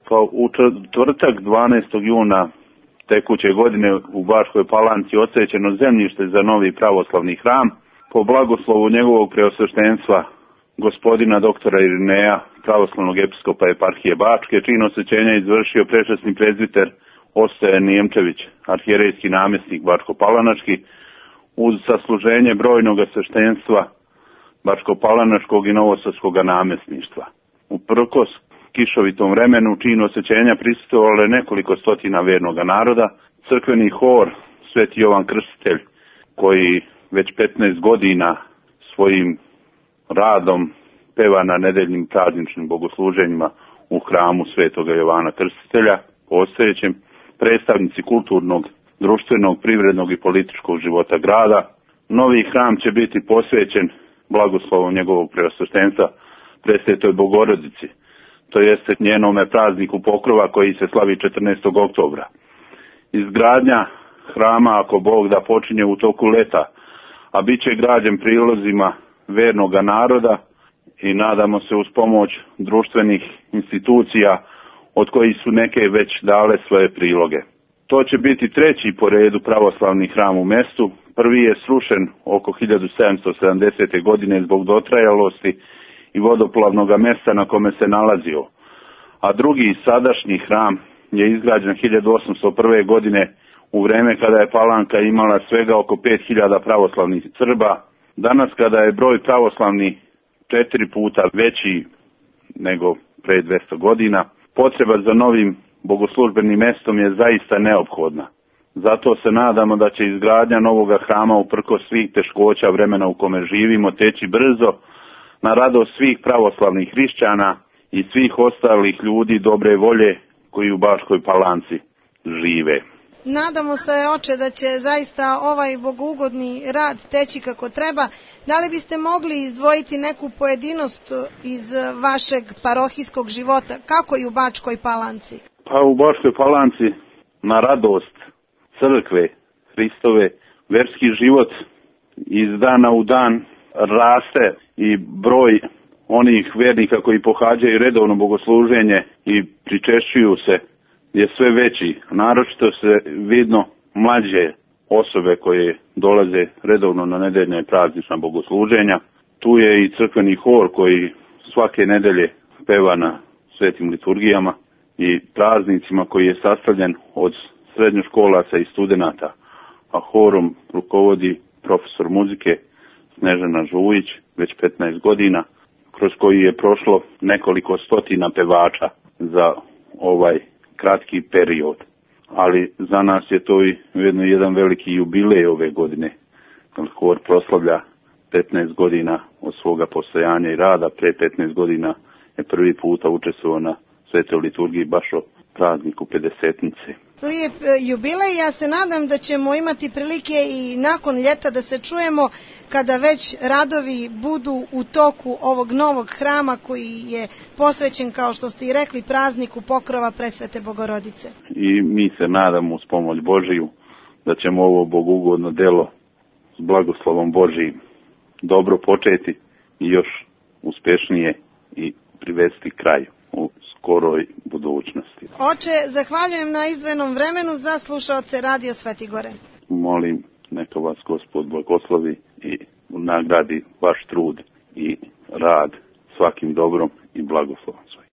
Pa u četvrtak 12. juna tekuće godine u Bačkoj Palanci odsvećeno zemljište za novi pravoslavni hram po blagoslovu njegovog preosveštenstva gospodina doktora Irineja, pravoslavnog episkopa eparhije Bačke, čin osvećenja izvršio prečasni prezbiter Ostoje Nijemčević, arhijerejski namjesnik Bačko-Palanački, uz sasluženje brojnog sveštenstva Bačko-Palanačkog i Novosadskog namjesništva. Uprkos kišovitom vremenu činu osvećenja prisustvovalo je nekoliko stotina vernog naroda, crkveni hor Sveti Jovan Krstitelj, koji već 15 godina svojim radom peva na nedeljnim prazničnim bogosluženjima u hramu Svetoga Jovana Krstitelja, postojećem, predstavnici kulturnog, društvenog, privrednog i političkog života grada. Novi hram će biti posvećen blagoslovom njegovog preosveštenstva Presvetoj Bogorodici, to jeste njenome prazniku Pokrova koji se slavi 14. oktobra. Izgradnja hrama, ako Bog da, počinje u toku leta, a bit će građen prilozima vernoga naroda i nadamo se uz pomoć društvenih institucija od kojih su neke već dale svoje priloge. To će biti treći po redu pravoslavni hram u mestu. Prvi je srušen oko 1770. godine zbog dotrajalosti i vodoplavnog mesta na kome se nalazio, a drugi sadašnji hram je izgrađen 1801. godine u vreme kada je Palanka imala svega oko 5000 pravoslavnih Srba. Danas kada je broj pravoslavni 4 puta veći nego pre 200 godina, potreba za novim bogoslužbenim mestom je zaista neophodna. Zato se nadamo da će izgradnja novoga hrama uprkos svih teškoća vremena u kome živimo teći brzo, na radost svih pravoslavnih hrišćana i svih ostalih ljudi dobre volje koji u Bačkoj Palanci žive. Nadamo se, oče, da će zaista ovaj bogougodni rad teći kako treba. Da li biste mogli izdvojiti neku pojedinost iz vašeg parohijskog života, kako i u Bačkoj Palanci? Pa u Bačkoj Palanci, na radost crkve Hristove, verski život iz dana u dan raste i broj onih vernika koji pohađaju redovno bogosluženje i pričešćuju se je sve veći. Naročito se vidno mlađe osobe koje dolaze redovno na nedeljne praznična bogosluženja. Tu je i crkveni hor koji svake nedelje peva na svetim liturgijama i praznicima, koji je sastavljen od srednjoškolaca i studenata, a horom rukovodi profesor muzike Snežana Žujić već 15 godina, kroz koji je prošlo nekoliko stotina pevača za ovaj kratki period. Ali za nas je to i ujedno jedan veliki jubilej ove godine. Hor proslavlja 15 godina od svoga postojanja i rada. Pre 15 godina je prvi puta učestvovao na svetoj liturgiji baš o prazniku Pedesetnice. To je jubilej, ja se nadam da ćemo imati prilike i nakon ljeta da se čujemo kada već radovi budu u toku ovog novog hrama koji je posvećen, kao što ste i rekli, prazniku Pokrova Presvete Bogorodice. I mi se nadamo uz pomoć Božiju da ćemo ovo bogugodno delo s blagoslovom Božijim dobro početi i još uspešnije i privesti kraju u skoroj budućnosti. Oče, zahvaljujem na izdvojenom vremenu za slušaoce Radio Svetigore. Molim, neka vas Gospod blagoslovi i nagradi vaš trud i rad svakim dobrom i blagoslovom svojim.